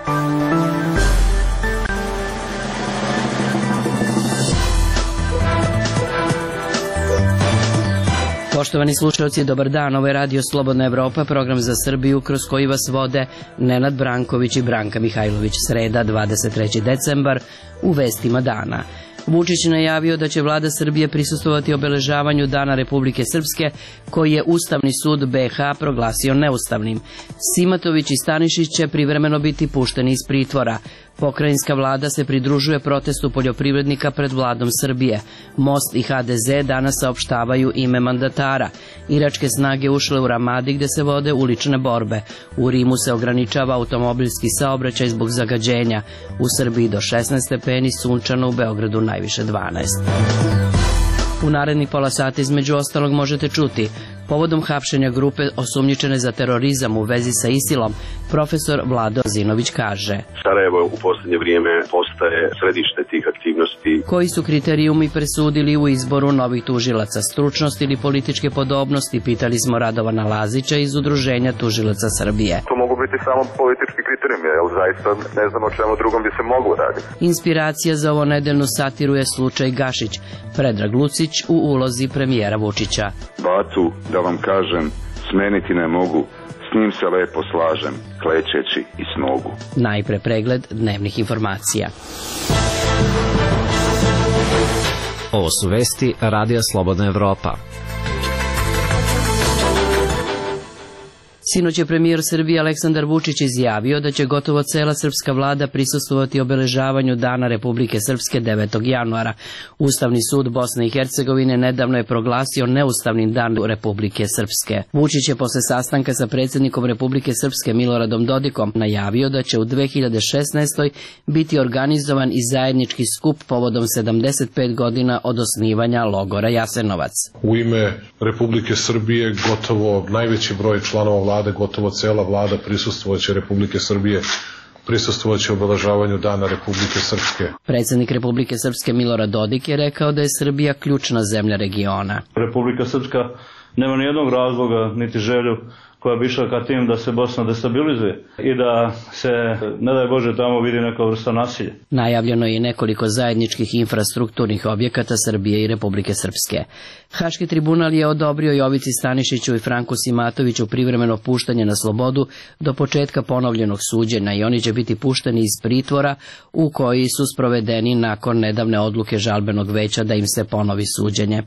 Poštovani slušalci, dobar dan. Ovo je Radio Slobodna Evropa, program za Srbiju kroz koji vas vode Nenad Branković i Branka Mihajlović. Sreda, 23. decembar, u vestima dana. Vučić najavio da će vlada Srbije prisustvovati obeležavanju Dana Republike Srpske, koji je Ustavni sud BiH proglasio neustavnim. Simatović i Stanišić će privremeno biti pušteni iz pritvora. Pokrajinska vlada se pridružuje protestu poljoprivrednika pred vladom Srbije. Most i HDZ danas saopštavaju ime mandatara. Iračke snage ušle u Ramadi gde se vode ulične borbe. U Rimu se ograničava automobilski saobraćaj zbog zagađenja. U Srbiji do 16 stepeni, sunčano, u Beogradu najviše 12. U narednih pola sata između ostalog možete čuti: povodom hapšenja grupe osumnjičene za terorizam u vezi sa ISIL-om, profesor Vlado Zinović kaže: Sarajevo u posljednje vrijeme postaje središte tih aktivnosti. Koji su kriterijumi presudili u izboru novih tužilaca? Stručnost ili političke podobnosti? Pitali smo Radovana Lazića iz Udruženja tužilaca Srbije. To mogu biti samo politički kriterijumi, jer zaista ne znam o čemu drugom bi se moglo raditi. Inspiracija za ovo nedeljnu satiru je slučaj Gašić. Predrag Lucić u ulozi premijera Vučića. Bacu, da vam kažem, smeniti ne mogu, s njim se lepo slažem, klečeći i s nogu. Najpre pregled dnevnih informacija. Ovo su vesti Radija Slobodna Evropa. Sinoć je premijer Srbije Aleksandar Vučić izjavio da će gotovo cela srpska vlada prisustvovati obeležavanju Dana Republike Srpske 9. januara. Ustavni sud Bosne i Hercegovine nedavno je proglasio neustavnim Dan Republike Srpske. Vučić je posle sastanka sa predsjednikom Republike Srpske Miloradom Dodikom najavio da će u 2016. biti organizovan i zajednički skup povodom 75 godina od osnivanja logora Jasenovac. U ime Republike Srbije gotovo najveći broj članova vlade, gotovo cela vlada prisustvovaće Republike Srbije, prisustvovaće obeležavanju Dana Republike Srpske. Predsjednik Republike Srpske Milorad Dodik je rekao da je Srbija ključna zemlja regiona. Republika Srpska nema nijednog razloga niti želju koja bi išla ka tim da se Bosna destabilizuje i da se, ne daj Bože, tamo vidi neka vrsta nasilja. Najavljeno je i nekoliko zajedničkih infrastrukturnih objekata Srbije i Republike Srpske. Haški tribunal je odobrio Jovici Stanišiću i Franku Simatoviću privremeno puštanje na slobodu do početka ponovljenog suđenja i oni će biti pušteni iz pritvora u koji su sprovedeni nakon nedavne odluke žalbenog veća da im se ponovi suđenje.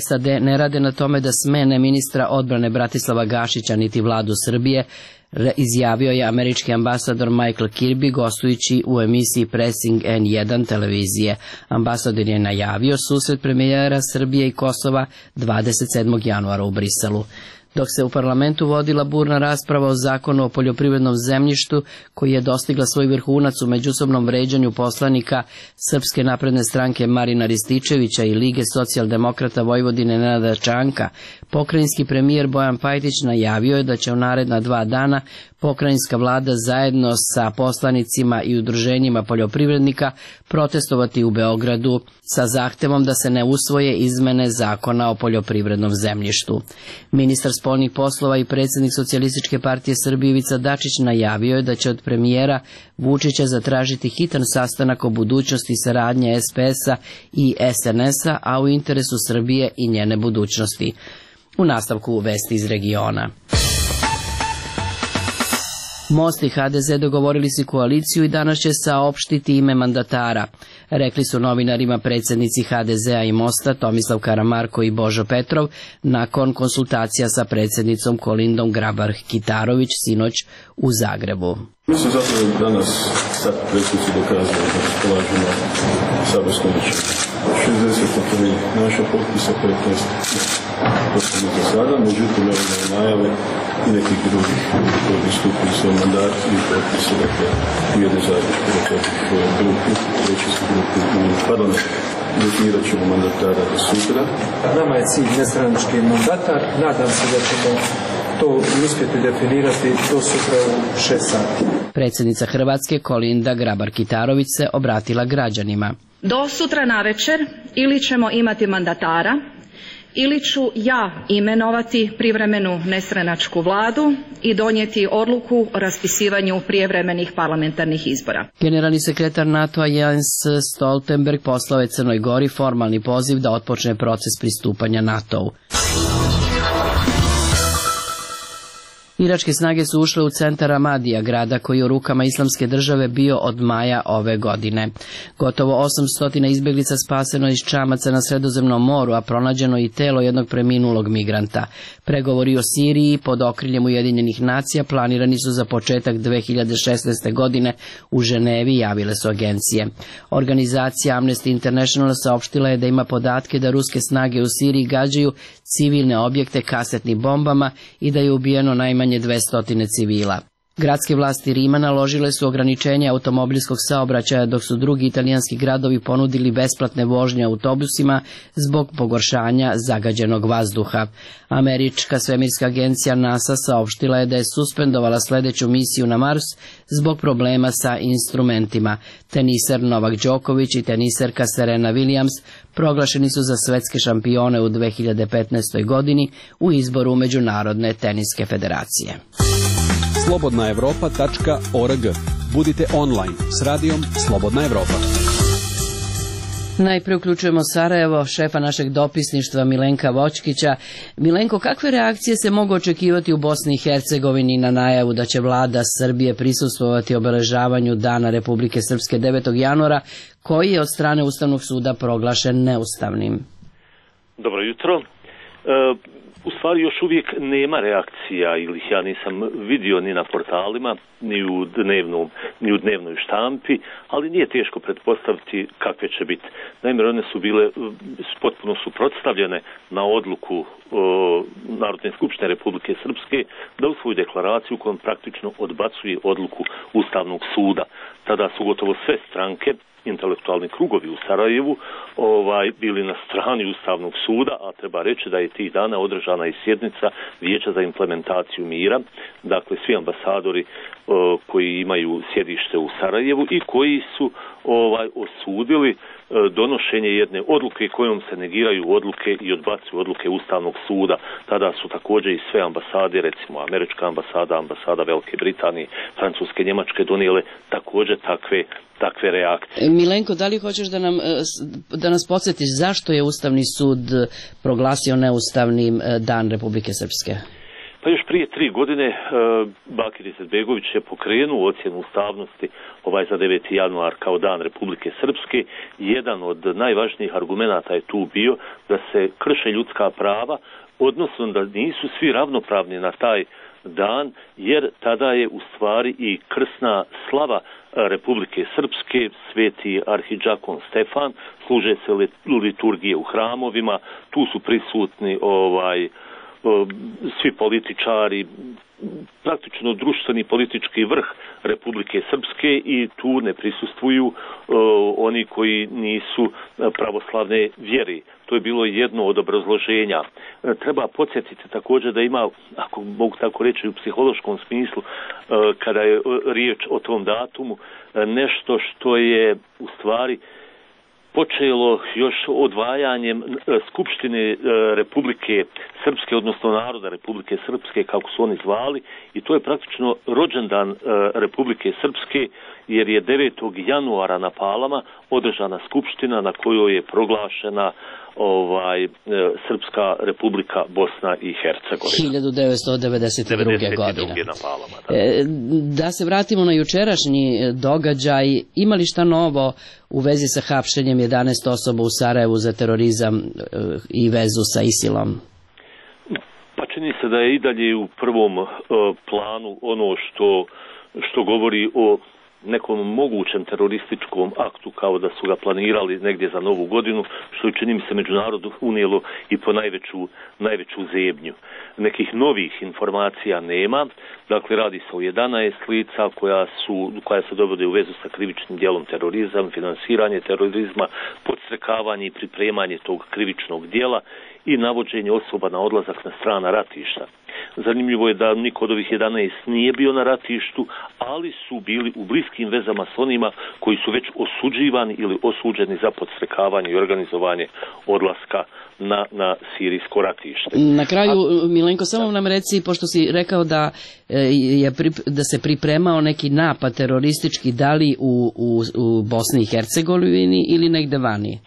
SAD ne rade na tome da smene ministra odbrane Bratislava Gašića niti vladu Srbije, izjavio je američki ambasador Michael Kirby gostujući u emisiji Pressing N1 televizije. Ambasador je najavio susret premijera Srbije i Kosova 27. januara u Briselu. Dok se u parlamentu vodila burna rasprava o zakonu o poljoprivrednom zemljištu koji je dostigla svoj vrhunac u međusobnom vređanju poslanika Srpske napredne stranke Marina Rističevića i Lige socijaldemokrata Vojvodine Nenada Čanka, pokrajinski premijer Bojan Pajtić najavio je da će u naredna 2 dana pokrajinska vlada zajedno sa poslanicima i udruženjima poljoprivrednika protestovati u Beogradu sa zahtevom da se ne usvoje izmene zakona o poljoprivrednom zemljištu. Ministar spoljnih poslova i predsjednik Socijalističke partije Srbije Ivica Dačić najavio je da će od premijera Vučića zatražiti hitan sastanak o budućnosti saradnje SPS-a i SNS-a, a u interesu Srbije i njene budućnosti. U nastavku vesti iz regiona. Most i HDZ dogovorili su koaliciju i danas će saopštiti ime mandatara. Rekli su novinarima predsjednici HDZ-a i Mosta Tomislav Karamarko i Božo Petrov nakon konsultacija sa predsjednicom Kolindom Grabar-Kitarović sinoć u Zagrebu. Mi smo zapravo danas sad predsjednici dokazali da raspolažemo saborskom većinom. 63 naša potpisa, 15 potpisa za sada, međutim evo na najave i nekih drugih koji bi stupili svoj mandat i potpise, dakle u jednoj zajedničkoj grupi, većinskoj grupi u parlamentu. Definirat ćemo mandatara do sutra. Nama je cilj nestranački mandatar, nadam se da ćemo to uspjeti definirati do sutra u 6 sati. Predsjednica Hrvatske Kolinda Grabar-Kitarović se obratila građanima. Do sutra navečer ili ćemo imati mandatara ili ću ja imenovati privremenu nestranačku vladu i donijeti odluku o raspisivanju prijevremenih parlamentarnih izbora. Generalni sekretar NATO-a Jens Stoltenberg poslao je Crnoj Gori formalni poziv da otpočne proces pristupanja NATO-u. Iračke snage su ušle u centar Ramadija, grada koji je u rukama Islamske države bio od maja ove godine. Gotovo 800 izbjeglica spaseno iz čamaca na Sredozemnom moru, a pronađeno i telo jednog preminulog migranta. Pregovori o Siriji pod okriljem Ujedinjenih nacija planirani su za početak 2016. godine u Ženevi, javile su agencije. Organizacija Amnesty International saopštila je da ima podatke da ruske snage u Siriji gađaju civilne objekte kasetnim bombama i da je ubijeno najmanje 200 civila. Gradske vlasti Rima naložile su ograničenje automobilskog saobraćaja, dok su drugi italijanski gradovi ponudili besplatne vožnje autobusima zbog pogoršanja zagađenog vazduha. Američka svemirska agencija NASA saopštila je da je suspendovala sledeću misiju na Mars zbog problema sa instrumentima. Teniser Novak Đoković i teniserka Serena Williams proglašeni su za svetske šampione u 2015. godini u izboru Međunarodne teniske federacije. slobodnaevropa.org. Budite online s radijom Slobodna Evropa. Najprije uključujemo Sarajevo, šefa našeg dopisništva Milenka Vočkića. Milenko, kakve reakcije se mogu očekivati u Bosni i Hercegovini na najavu da će vlada Srbije prisustvovati obeležavanju Dana Republike Srpske 9. januara, koji je od strane Ustavnog suda proglašen neustavnim? Dobro jutro. U stvari još uvijek nema reakcija, ili ja nisam vidio ni na portalima, ni u dnevnoj štampi, ali nije teško pretpostaviti kakve će biti. Naime, one su bile potpuno suprotstavljene na odluku Narodne skupštine Republike Srpske da usvoji deklaraciju kojom praktično odbacuje odluku Ustavnog suda. Tada su gotovo sve stranke, intelektualni krugovi u Sarajevu, bili na strani Ustavnog suda, a treba reći da je tih dana održana i sjednica Vijeća za implementaciju mira, dakle svi ambasadori koji imaju sjedište u Sarajevu i koji su osudili donošenje jedne odluke kojom se negiraju odluke i odbacuju odluke Ustavnog suda. Tada su također i sve ambasade, recimo američka ambasada, ambasada Velike Britanije, Francuske, Njemačke donijele također takve reakcije. Milenko, da li hoćeš da nas podsjetiš zašto je Ustavni sud proglasio neustavnim Dan Republike Srpske? Pa još prije 3 godine Bakir Izetbegović je pokrenuo ocjenu ustavnosti za 9. januar kao Dan Republike Srpske. Jedan od najvažnijih argumenata je tu bio da se krše ljudska prava, odnosno da nisu svi ravnopravni na taj dan, jer tada je u stvari i krsna slava Republike Srpske, sveti arhidžakon Stefan, služe se liturgije u hramovima, tu su prisutni svi političari, praktično društveni politički vrh Republike Srpske i tu ne prisustvuju oni koji nisu pravoslavne vjeri. To je bilo jedno od obrazloženja. Treba podsjetiti također da ima, ako mogu tako reći u psihološkom smislu, kada je riječ o tom datumu, nešto što je u stvari počelo još odvajanjem Skupštine Republike Srpske, odnosno naroda Republike Srpske, kako su oni zvali, i to je praktično rođendan Republike Srpske, jer je 9. januara na Palama održana skupština na kojoj je proglašena Srpska Republika Bosna i Hercegovina. 1992. godine. Da se vratimo na jučerašnji događaj, ima li šta novo u vezi sa hapšenjem 11 osoba u Sarajevu za terorizam i vezu sa ISIL-om? Pa čini se da je i dalje u prvom planu ono što govori o nekom mogućem terorističkom aktu, kao da su ga planirali negdje za Novu godinu, što je, čini mi se, međunarodu unijelo i po najveću zebnju. Nekih novih informacija nema, dakle radi se o 11 lica koja se dovode u vezu sa krivičnim djelom terorizam, finansiranje terorizma, podstrekavanje i pripremanje tog krivičnog djela i navođenje osoba na odlazak na strana ratišta. Zanimljivo je da niko od ovih 11 nije bio na ratištu, ali su bili u bliskim vezama s onima koji su već osuđivani ili osuđeni za podstrekavanje i organizovanje odlaska na sirijsko ratište. Na kraju, Milenko, samo nam reci, pošto si rekao da se pripremao neki napad teroristički, da li u Bosni i Hercegovini ili negde vani?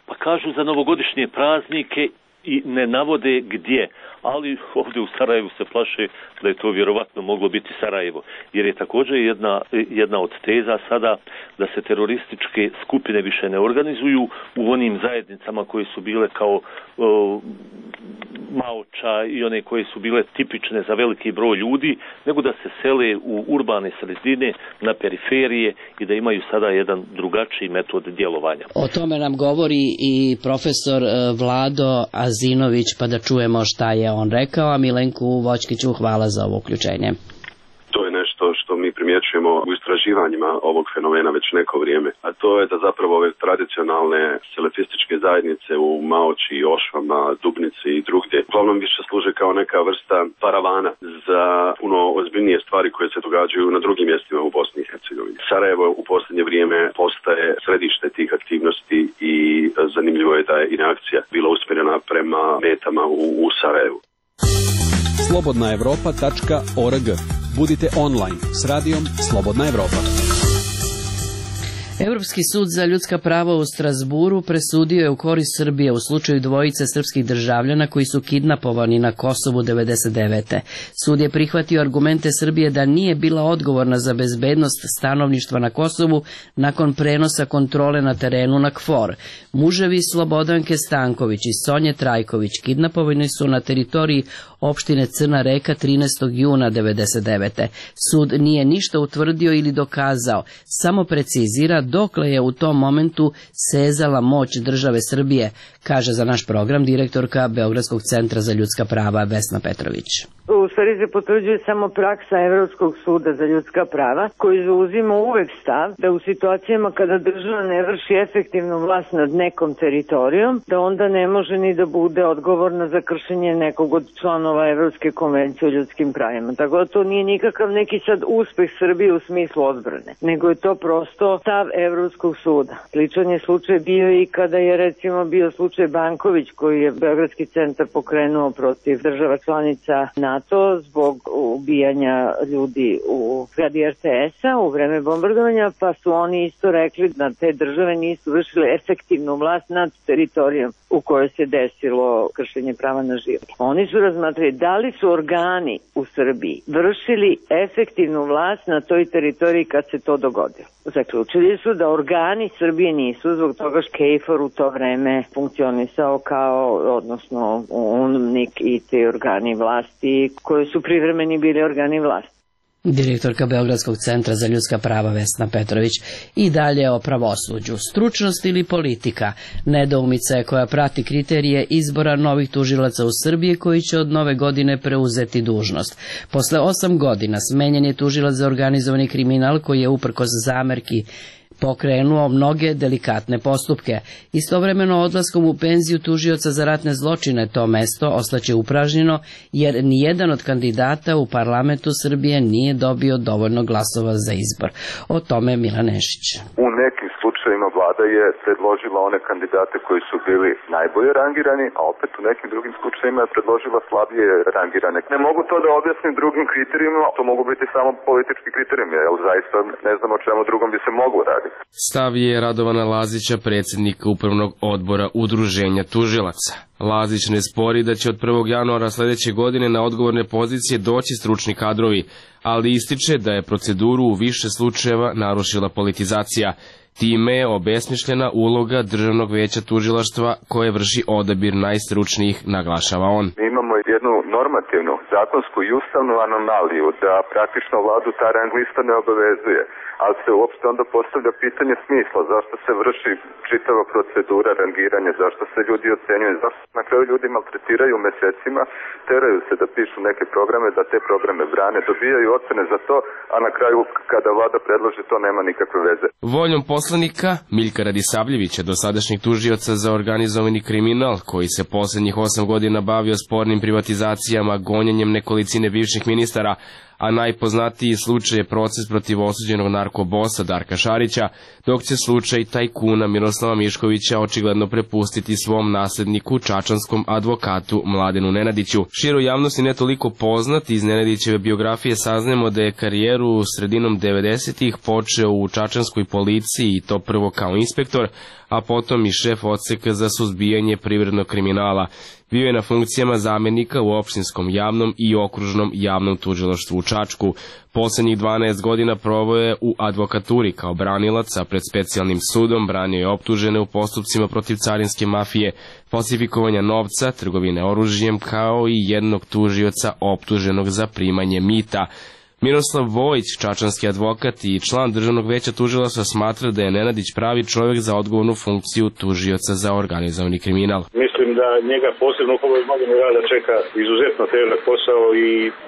Pa kažu za novogodišnje praznike i ne navode gdje, ali ovdje u Sarajevu se plaše da je to vjerovatno moglo biti Sarajevo, jer je također jedna od teza sada da se terorističke skupine više ne organizuju u onim zajednicama koje su bile kao Maoča i one koje su bile tipične za veliki broj ljudi, nego da se sele u urbane sredine, na periferije i da imaju sada jedan drugačiji metod djelovanja. O tome nam govori i profesor Vlado Azinović, pa da čujemo šta je on rekao, a Milenku Voćkiću hvala za ovo uključenje. To je nešto što mi primjećujemo u istraživanjima ovog fenomena već neko vrijeme, a to je da zapravo ove tradicionalne selefističke zajednice u Maoči, Ošvama, Dubnici i drugdje uglavnom više služe kao neka vrsta paravana za puno ozbiljnije stvari koje se događaju na drugim mjestima u Bosni i Hercegovini. Sarajevo u posljednje vrijeme postaje središte tih aktivnosti i zanimljivo je da je i reakcija bila usmjerena prema metama u Sarajevu. slobodnaevropa.org. Budite online s radijom Slobodna Evropa. Europski sud za ljudska prava u Strasburu presudio je u korist Srbije u slučaju dvojice srpskih državljana koji su kidnapovani na Kosovu 1999. Sud je prihvatio argumente Srbije da nije bila odgovorna za bezbednost stanovništva na Kosovu nakon prenosa kontrole na terenu na KFOR. Muževi Slobodanke Stanković i Sonje Trajković kidnapovani su na teritoriji opštine Crna Reka 13. juna 1999. Sud nije ništa utvrdio ili dokazao, samo precizira dokle je u tom momentu sezala moć države Srbije, kaže za naš program direktorka Beogradskog centra za ljudska prava Vesna Petrović. U stvari se potvrđuje samo praksa Evropskog suda za ljudska prava, koji zauzima uvek stav da u situacijama kada država ne vrši efektivnu vlast nad nekom teritorijom, da onda ne može ni da bude odgovorna za kršenje nekog od članova Evropske konvencije o ljudskim pravima. Tako da to nije nikakav neki sad uspeh Srbije u smislu odbrane, nego je to prosto stav Evropskog suda. Sličan je slučaj bio i kada je recimo bio slučaj Banković, koji je Beogradski centar pokrenuo protiv država članica NATO zbog ubijanja ljudi u zgradi RTS-a u vreme bombardovanja, pa su oni isto rekli da te države nisu vršile efektivnu vlast nad teritorijom u kojoj se desilo kršenje prava na život. Oni su razmatrali da li su organi u Srbiji vršili efektivnu vlast na toj teritoriji kad se to dogodilo. Zaključili su da organi Srbije nisu, zbog toga što KFOR u to vreme funkcionisao kao, odnosno UNMNIK i te organi vlasti koji su privremeni bili organi vlasti. Direktorka Beogradskog centra za ljudska prava Vesna Petrović. I dalje o pravosuđu. Stručnost ili politika? Nedoumica je koja prati kriterije izbora novih tužilaca u Srbiji koji će od nove godine preuzeti dužnost. Posle 8 godina smenjen je tužilac za organizovani kriminal koji je uprkos zamerki pokrenuo mnoge delikatne postupke. Istovremeno odlaskom u penziju tužioca za ratne zločine to mesto ostaće upražnjeno jer nijedan od kandidata u parlamentu Srbije nije dobio dovoljno glasova za izbor. O tome Milan Nešić. U nekim slučajevima vlada je predložila one kandidate koji su bili najbolje rangirani, a opet u nekim drugim slučajevima je predložila slabije rangirane. Ne mogu to da objasnim drugim kriterijima, to mogu biti samo politički kriterijumi, jer zaista ne znam o čemu drugom bi se moglo raditi. Stav je Radovana Lazića, predsjednika Upravnog odbora Udruženja tužilaca. Lazić ne spori da će od 1. januara sljedeće godine na odgovorne pozicije doći stručni kadrovi, ali ističe da je proceduru u više slučajeva narušila politizacija. Time je obesmišljena uloga Državnog veća tužilaštva koje vrši odabir najstručnijih, naglašava on. Mi imamo jednu normativnu, zakonsku i ustavnu anomaliju da praktično vladu ta rang lista ne obavezuje, ali se uopšte onda postavlja pitanje smisla, zašto se vrši čitava procedura rangiranja, zašto se ljudi ocenjuju, zašto na kraju ljudi maltretiraju mesecima, teraju se da pišu neke programe, da te programe brane, dobijaju ocene za to, a na kraju kada vlada predloži to nema nikakve veze. Voljom poslanika Miljka Radisavljevića, dosadašnjeg tužioca za organizovani kriminal, koji se posljednjih 8 godina bavio spornim privatizacijama istragama gonjenjem nekolicine bivših ministara, a najpoznatiji slučaj je proces protiv osuđenog narkobosa Darka Šarića, dok će slučaj tajkuna Miroslava Miškovića očigledno prepustiti svom nasledniku, čačanskom advokatu Mladenu Nenadiću. Široj javnosti ne toliko poznat, iz Nenadićeve biografije saznajemo da je karijeru sredinom 90-ih počeo u čačanskoj policiji i to prvo kao inspektor, a potom i šef odseka za suzbijanje privrednog kriminala. Bio je na funkcijama zamenika u opštinskom javnom i okružnom javnom tužilaštvu u Čačku. Poslednjih 12 godina proveo je u advokaturi kao branilac, a pred specijalnim sudom branio je optužene u postupcima protiv carinske mafije, falsifikovanja novca, trgovine oružjem, kao i jednog tužioca optuženog za primanje mita. Miroslav Vojić, čačanski advokat i član Državnog veća tužilaštva, smatra da je Nenadić pravi čovjek za odgovornu funkciju tužioca za organizovani kriminal. Mislim da njega posebno u ovoj godini rada čeka izuzetno težak posao,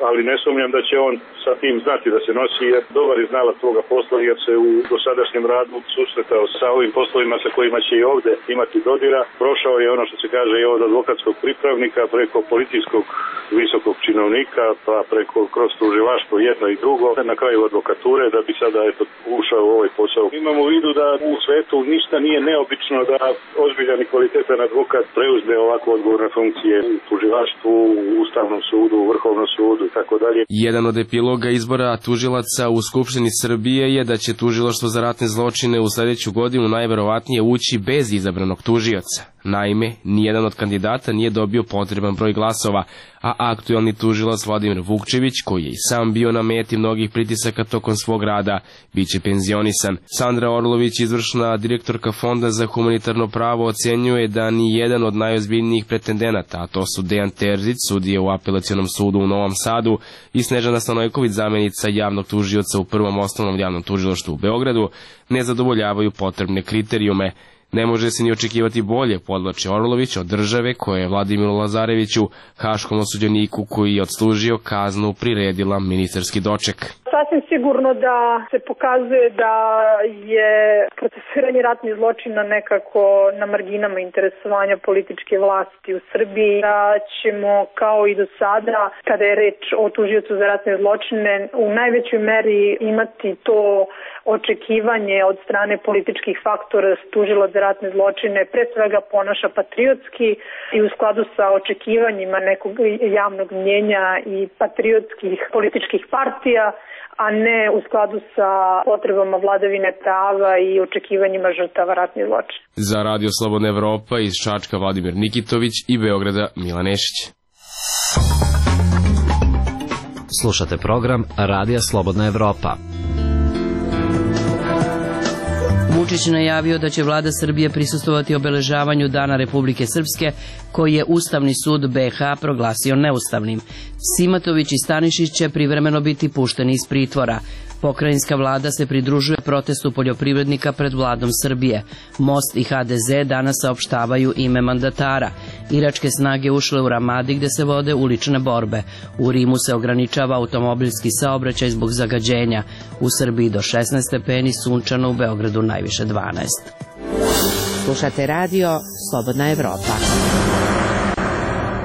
ali ne sumnjam da će on sa tim znati da se nosi, jer dobar je znalac toga posla, jer se u dosadašnjem radu susretao sa ovim poslovima sa kojima će i ovde imati dodira. Prošao je ono što se kaže i od advokatskog pripravnika preko policijskog visokog činovnika, pa preko kroz tužilaštvo jedno i drugo, na kraju advokature, da bi sada ušao u ovaj posao. Imamo u vidu da u svetu ništa nije neobično da ozbiljan i kvalitetan advokat preuzme ovako odgovorne funkcije u tužilaštvu, u Ustavnom sudu, u Vrhovnom sudu i tako dalje. Jedan od epiloga izbora tužilaca u Skupštini Srbije je da će tužilaštvo za ratne zločine u sledeću godinu najverovatnije ući bez izabranog tužioca. Naime, nijedan od kandidata nije dobio potreban broj glasova, a aktuelni tužilac Vladimir Vukčević, koji je i sam bio na meti mnogih pritisaka tokom svog rada, biće penzionisan. Sandra Orlović, izvršna direktorka Fonda za humanitarno pravo, ocenjuje da ni jedan od najozbiljnijih pretendenata, a to su Dejan Terzić, sudija u Apelacionom sudu u Novom Sadu, i Snežana Stanojković, zamenica javnog tužioca u Prvom osnovnom javnom tužilaštvu u Beogradu, ne zadovoljavaju potrebne kriterijume. Ne može se ni očekivati bolje, podvlači Orlović, od države koja je Vladimiru Lazareviću, haškom osuđeniku koji je odslužio kaznu, priredila ministarski doček. Sasvim sigurno da se pokazuje da je procesuiranje ratnih zločina nekako na marginama interesovanja političke vlasti u Srbiji, da ćemo kao i do sada, kada je reč o tužiocu za ratne zločine, u najvećoj meri imati to očekivanje od strane političkih faktora tužilac za ratne zločine pre svega ponaša patriotski i u skladu sa očekivanjima nekog javnog mnjenja i patriotskih političkih partija, a ne u skladu sa potrebama vladavine prava i očekivanjima žrtava ratnih zločina. Za Radio Slobodna Evropa iz Čačka Vladimir Nikitović i Beograda Milan Nešić. Slušate program Radija Slobodna Evropa. Vučić najavio da će vlada Srbije prisustvovati obeležavanju Dana Republike Srpske, koji je Ustavni sud BiH proglasio neustavnim. Simatović i Stanišić će privremeno biti pušteni iz pritvora. Pokrajinska vlada se pridružuje protestu poljoprivrednika pred vladom Srbije. Most i HDZ danas saopštavaju ime mandatara. Iračke snage ušle u Ramadi gde se vode ulične borbe. U Rimu se ograničava automobilski saobraćaj zbog zagađenja. U Srbiji do 16 stepeni, sunčano, u Beogradu najviše 12. Slušate radio Slobodna Evropa.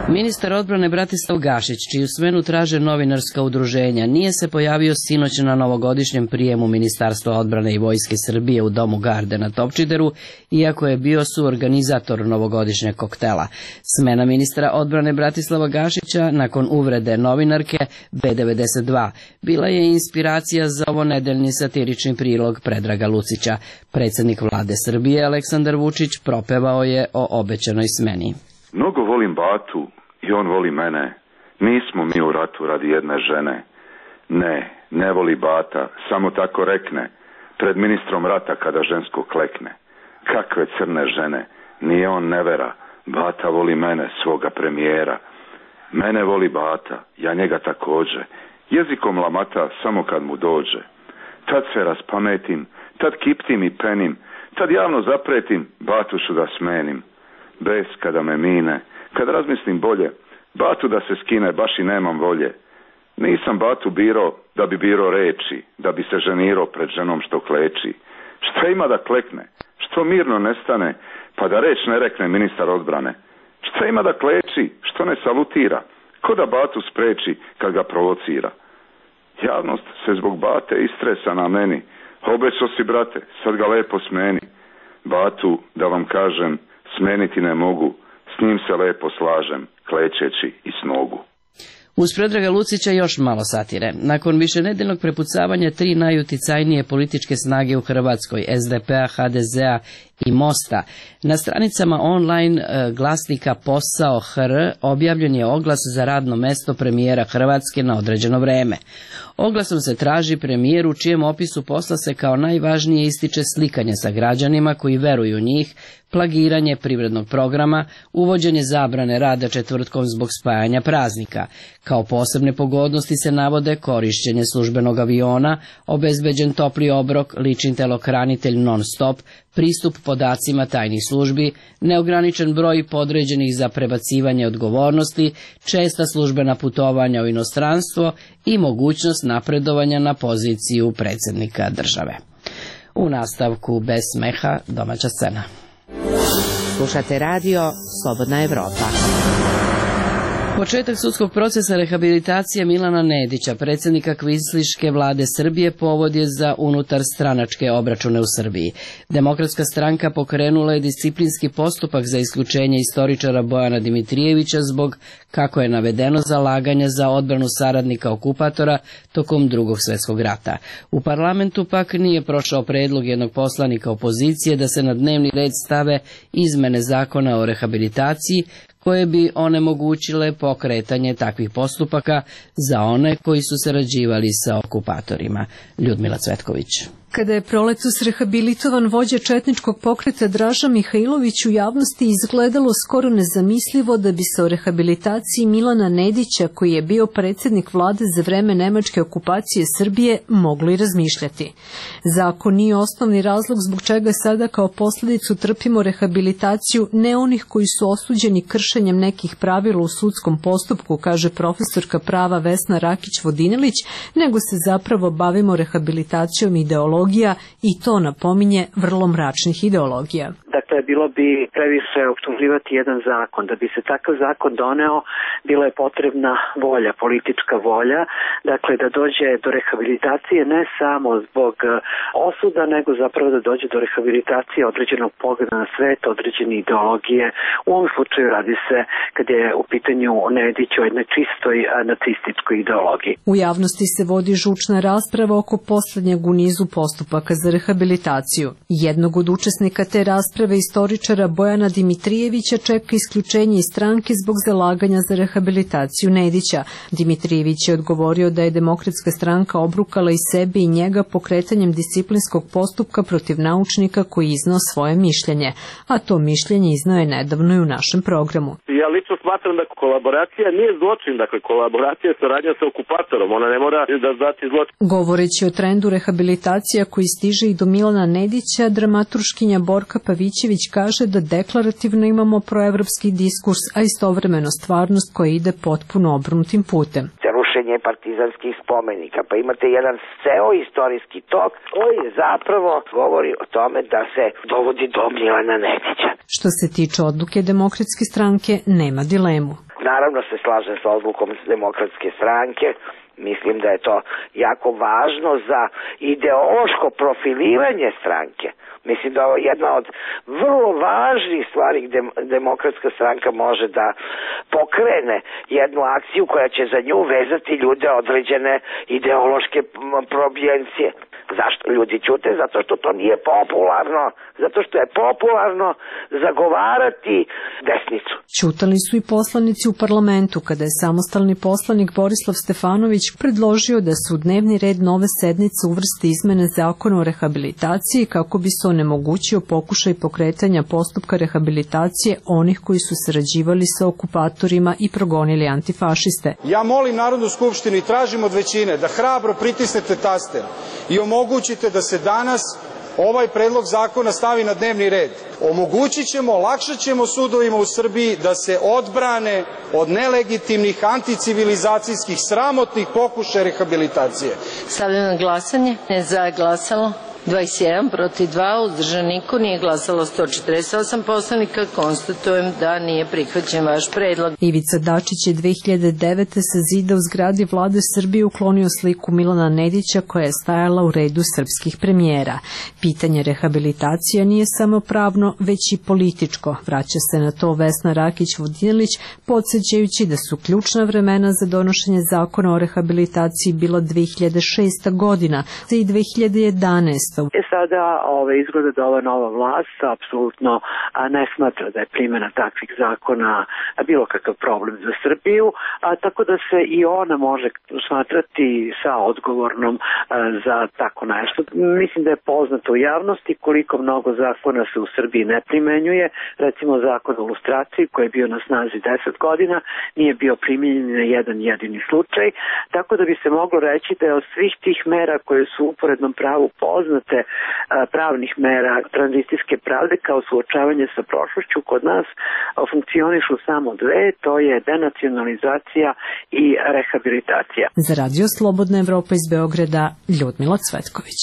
Ministar odbrane Bratislav Gašić, čiju smenu traže novinarska udruženja, nije se pojavio sinoć na novogodišnjem prijemu Ministarstva odbrane i Vojske Srbije u Domu Garde na Topčideru, iako je bio suorganizator novogodišnjeg koktela. Smena ministra odbrane Bratislava Gašića nakon uvrede novinarke B92 bila je inspiracija za ovo nedeljni satirični prilog Predraga Lucića. Predsjednik vlade Srbije Aleksandar Vučić propevao je o obećanoj smeni. Mnogo volim Batu i on voli mene. Nismo mi u ratu radi jedne žene. Ne voli Bata, samo tako rekne, pred ministrom rata kada žensko klekne. Kakve crne žene, nije on nevera, Bata voli mene, svoga premijera. Mene voli Bata, ja njega također, jezikom lamata samo kad mu dođe. Tad se raspametim, tad kiptim i penim, tad javno zapretim, Batušu da smenim. Bes kada me mine, kad razmislim bolje, Batu da se skine, baš i nemam volje. Nisam Batu biro da bi biro reči, da bi se ženirao pred ženom što kleči. Šta ima da klekne, što mirno nestane, pa da reč ne rekne ministar odbrane. Šta ima da kleči, što ne salutira, Ko da batu spreči kad ga provocira? Javnost se zbog bate istresa na meni. Obećao si, brate, sad ga lepo smeni. Batu, da vam kažem, smeniti ne mogu. S njim se lepo slažem, klečeći i s nogu. Uz Predraga Lucića još malo satire. Nakon višenedeljnog prepucavanja tri najuticajnije političke snage u Hrvatskoj, SDP-a, HDZ-a i Mosta, na stranicama online glasnika Posao HR objavljen je oglas za radno mesto premijera Hrvatske na određeno vreme. Oglasom se traži premijer u čijem opisu posla se kao najvažnije ističe slikanje sa građanima koji veruju u njih, plagiranje privrednog programa, uvođenje zabrane rada četvrtkom zbog spajanja praznika. Kao posebne pogodnosti se navode korišćenje službenog aviona, obezbeđen topli obrok, lični telohranitelj non-stop, pristup podacima tajnih službi, neograničen broj podređenih za prebacivanje odgovornosti, česta službena putovanja u inostranstvo i mogućnost napredovanja na poziciju predsjednika države. U nastavku bez smeha domaća scena. Slušate radio Slobodna Evropa. Početak sudskog procesa rehabilitacije Milana Nedića, predsjednika kvislinške vlade Srbije, povod je za unutarstranačke obračune u Srbiji. Demokratska stranka pokrenula je disciplinski postupak za isključenje istoričara Bojana Dimitrijevića zbog, kako je navedeno, zalaganja za odbranu saradnika okupatora tokom Drugog svjetskog rata. U parlamentu pak nije prošao predlog jednog poslanika opozicije da se na dnevni red stave izmene zakona o rehabilitaciji, koje bi onemogućile pokretanje takvih postupaka za one koji su sarađivali sa okupatorima. Ljudmila Cvetković. Kada je proletos rehabilitovan vođa četničkog pokreta Draža Mihajlović, u javnosti izgledalo skoro nezamislivo da bi se o rehabilitaciji Milana Nedića, koji je bio predsjednik vlade za vreme nemačke okupacije Srbije, moglo i razmišljati. Zakon nije osnovni razlog zbog čega sada kao posljedicu trpimo rehabilitaciju ne onih koji su osuđeni kršenjem nekih pravila u sudskom postupku, kaže profesorka prava Vesna Rakić-Vodinelić, nego se zapravo bavimo rehabilitacijom ideologije i to napominje vrlo mračnih ideologija. Dakle, bilo bi previše optuživati jedan zakon. Da bi se takav zakon doneo, bila je potrebna volja, politička volja, dakle da dođe do rehabilitacije ne samo zbog osuda, nego zapravo da dođe do rehabilitacije određenog pogleda na svet, određene ideologije. U ovom slučaju radi se, kad je u pitanju Nedić, o jednoj čistoj nacističkoj ideologiji. U javnosti se vodi žučna rasprava oko poslednjeg u nizu postupaka za rehabilitaciju. Jednog od učesnika te rasprave, istoričara Bojana Dimitrijevića, čeka isključenje iz stranke zbog zalaganja za rehabilitaciju Nedića. Dimitrijević je odgovorio da je Demokratska stranka obrukala i sebe i njega pokretanjem disciplinskog postupka protiv naučnika koji iznao svoje mišljenje, a to mišljenje iznao je nedavno i u našem programu. Ja lično smatram da kolaboracija nije zločin, dakle kolaboracija je saradnja sa okupatorom, ona ne mora da znači zločin. Govoreći o trendu rehabilitacija koji stiže i do Milana Nedića, dramaturškinja Borka Pavićević kaže da deklarativno imamo proevropski diskurs, a istovremeno stvarnost koja ide potpuno obrnutim putem. Rušenje partizanskih spomenika, pa imate jedan ceo istorijski tok koji zapravo govori o tome da se dovodi do Milana Nedića. Što se tiče odluke Demokratske stranke, nema dilemu. Naravno se slažem sa odlukom Demokratske stranke. Mislim da je to jako važno za ideološko profiliranje stranke. Mislim da je jedna od vrlo važnih stvari gde Demokratska stranka može da pokrene jednu akciju koja će za nju vezati ljude određene ideološke probijencije. Zašto ljudi ćute? Zato što to nije popularno. Zato što je popularno zagovarati desnicu. Ćutali su i poslanici u parlamentu kada je samostalni poslanik Borislav Stefanović predložio da se u dnevni red nove sednice uvrste izmene zakona o rehabilitaciji kako bi se onemogućio pokušaj pokretanja postupka rehabilitacije onih koji su sarađivali sa okupatorima i progonili antifašiste. Ja molim Narodnu skupštinu i tražim od većine da hrabro pritisnete taster i omogućite da se danas ovaj predlog zakona stavi na dnevni red. Omogućit ćemo, olakšat ćemo sudovima u Srbiji da se odbrane od nelegitimnih anticivilizacijskih sramotnih pokušaja rehabilitacije. Stavljam na glasanje. Ne za je glasalo 21 protiv 2, uzdržan niko, nije glasalo 148 poslanika. Konstatujem da nije prihvaćen vaš predlog. Ivica Dačić je 2009. sa zida u zgradi Vlade Srbije uklonio sliku Milana Nedića koja je stajala u redu srpskih premijera. Pitanje rehabilitacije nije samo pravno, već i političko. Vraća se na to Vesna Rakić-Vodinelić, podsjećajući da su ključna vremena za donošenje zakona o rehabilitaciji bila 2006. godina i 2011. Sada izgleda da ova nova vlast apsolutno ne smatra da je primjena takvih zakona bilo kakav problem za Srbiju, tako da se i ona može smatrati sa odgovornom za tako nešto. Mislim da je poznato u javnosti koliko mnogo zakona se u Srbiji ne primenjuje. Recimo zakon o lustraciji koji je bio na snazi 10 godina nije bio primenjen na jedan jedini slučaj, tako da bi se moglo reći da je od svih tih mera koje su u uporednom pravu poznate pravnih mera tranzicijske pravde kao suočavanje sa prošlošću kod nas funkcionišu samo dve, to je denacionalizacija i rehabilitacija. Za Radio Slobodna Evropa iz Beograda, Ljudmila Cvetković.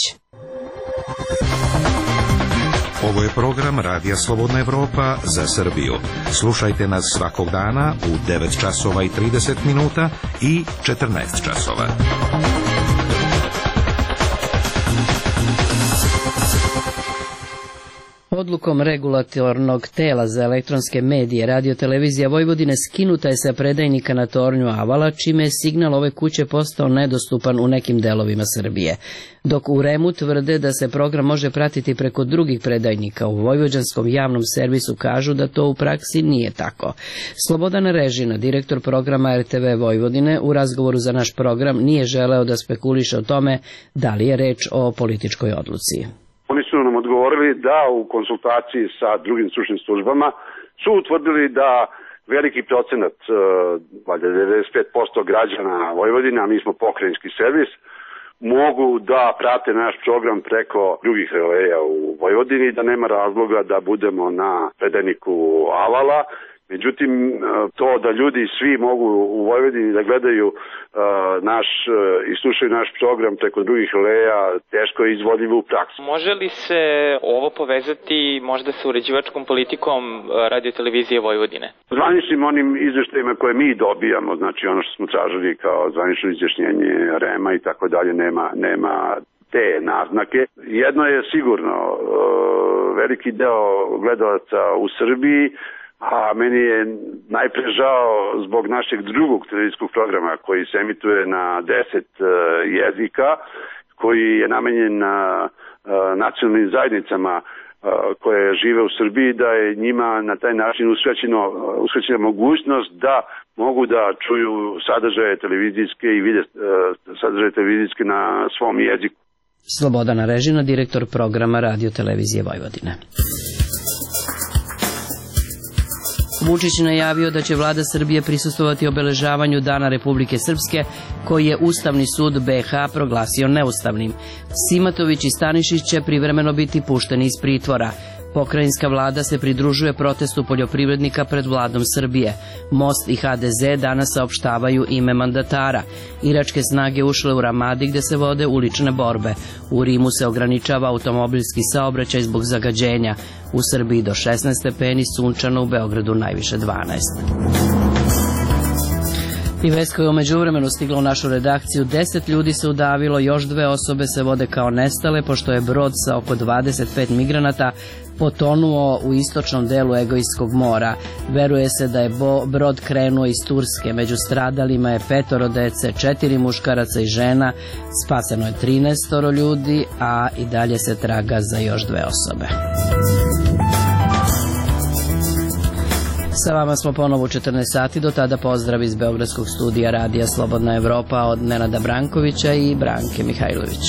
Ovo je program Radija Slobodna Evropa za Srbiju. Slušajte nas svakog dana u 9 časova i 30 minuta i 14 časova. Odlukom regulatornog tela za elektronske medije Radio-televizija Vojvodine skinuta je sa predajnika na tornju Avala, čime je signal ove kuće postao nedostupan u nekim delovima Srbije. Dok u REM-u tvrde da se program može pratiti preko drugih predajnika, u vojvođanskom javnom servisu kažu da to u praksi nije tako. Slobodan Režina, direktor programa RTV Vojvodine, u razgovoru za naš program nije želeo da spekuliše o tome da li je reč o političkoj odluci. Oni su nam odgovorili da u konsultaciji sa drugim stručnim službama su utvrdili da veliki procenat, valjda 95% građana Vojvodine, a mi smo pokrajinski servis, mogu da prate naš program preko drugih releja u Vojvodini i da nema razloga da budemo na predajniku Avala. Međutim, to da ljudi svi mogu u Vojvodini da gledaju i slušaju naš program preko drugih releja, teško je izvodljivo u praksi. Može li se ovo povezati možda sa uređivačkom politikom Radio-televizije Vojvodine? Zvaničnim onim izveštajima koje mi dobijamo, znači ono što smo tražili kao zvanično izjašnjenje REM-a i tako dalje, nema te naznake. Jedno je sigurno, veliki deo gledalaca u Srbiji, a meni je najpre žao zbog našeg drugog televizijskog programa koji se emituje na 10 jezika, koji je namenjen na nacionalnim zajednicama koje žive u Srbiji, da je njima na taj način uskraćena mogućnost da mogu da čuju sadržaje televizijske i vide sadržaje televizijske na svom jeziku. Slobodana Režina, direktor programa Radio-televizije Vojvodine. Vučić najavio da će vlada Srbije prisustvovati obeležavanju Dana Republike Srpske, koji je Ustavni sud BiH proglasio neustavnim. Simatović i Stanišić će privremeno biti pušteni iz pritvora. Pokrajinska vlada se pridružuje protestu poljoprivrednika pred vladom Srbije. Most i HDZ danas saopštavaju ime mandatara. Iračke snage ušle u Ramadi gde se vode ulične borbe. U Rimu se ograničava automobilski saobraćaj zbog zagađenja. U Srbiji do 16 stepeni, sunčano, u Beogradu najviše 12. I vest koja je umeđu vremenu stigla u našu redakciju, 10 ljudi se udavilo, još 2 osobe se vode kao nestale, pošto je brod sa oko 25 migranata potonuo u istočnom delu Egejskog mora. Veruje se da je brod krenuo iz Turske. Među stradalima je 5 dece, 4 muškaraca i žena, spaseno je 13 ljudi, a i dalje se traga za još 2 osobe. Sa vama smo ponovo u 14 sati, do tada pozdrav iz Beogradskog studija Radija Slobodna Evropa od Nenada Brankovića i Branke Mihajlović.